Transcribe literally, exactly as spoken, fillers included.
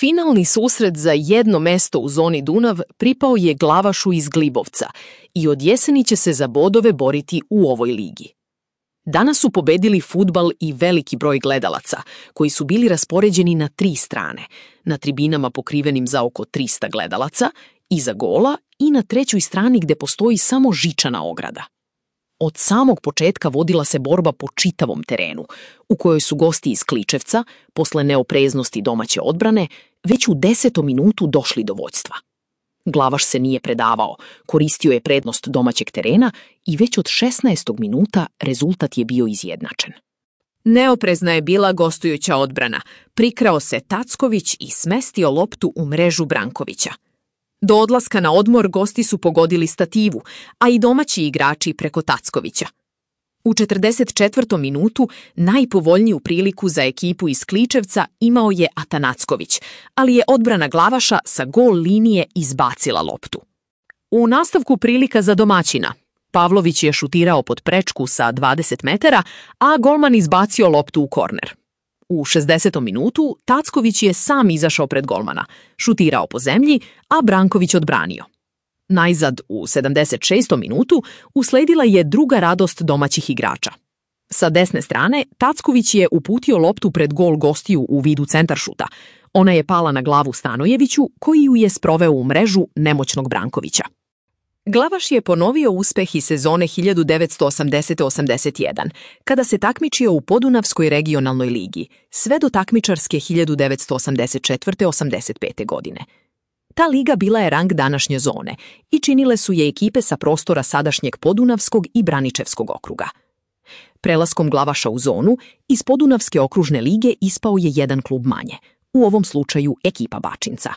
Finalni susret za jedno mesto u zoni Dunav pripao je Glavašu iz Glibovca i od jeseni će se za bodove boriti u ovoj ligi. Danas su pobedili fudbal i veliki broj gledalaca, koji su bili raspoređeni na tri strane, na tribinama pokrivenim za oko trista gledalaca, iza gola i na trećoj strani gde postoji samo žičana ograda. Od samog početka vodila se borba po čitavom terenu, u kojoj su gosti iz Kličevca, posle neopreznosti domaće odbrane, već u desetom minutu došli do vođstva. Glavaš se nije predavao, koristio je prednost domaćeg terena i već od šesnaestog minuta rezultat je bio izjednačen. Neoprezna je bila gostujuća odbrana. Prikrao se Tacković i smestio loptu u mrežu Brankovića. Do odlaska na odmor gosti su pogodili stativu, a i domaći igrači preko Tackovića. U četrdeset četvrtom minutu najpovoljniju priliku za ekipu iz Kličevca imao je Atanacković, ali je odbrana Glavaša sa gol linije izbacila loptu. U nastavku prilika za domaćina. Pavlović je šutirao pod prečku sa dvadeset metara, a golman izbacio loptu u korner. U šezdesetom minutu Tacković je sam izašao pred golmana, šutirao po zemlji, a Branković odbranio. Najzad u sedamdeset šestom minutu usledila je druga radost domaćih igrača. Sa desne strane Tacković je uputio loptu pred gol gostiju u vidu centaršuta. Ona je pala na glavu Stanojeviću, koji ju je sproveo u mrežu nemoćnog Brankovića. Glavaš je ponovio uspeh iz sezone hiljadu devetsto osamdeset osamdeset jedan, kada se takmičio u Podunavskoj regionalnoj ligi, sve do takmičarske hiljadu devetsto osamdeset četvrte osamdeset pete godine. Ta liga bila je rang današnje zone i činile su je ekipe sa prostora sadašnjeg Podunavskog i Braničevskog okruga. Prelaskom Glavaša u zonu, iz Podunavske okružne lige ispao je jedan klub manje, u ovom slučaju ekipa Bačinca.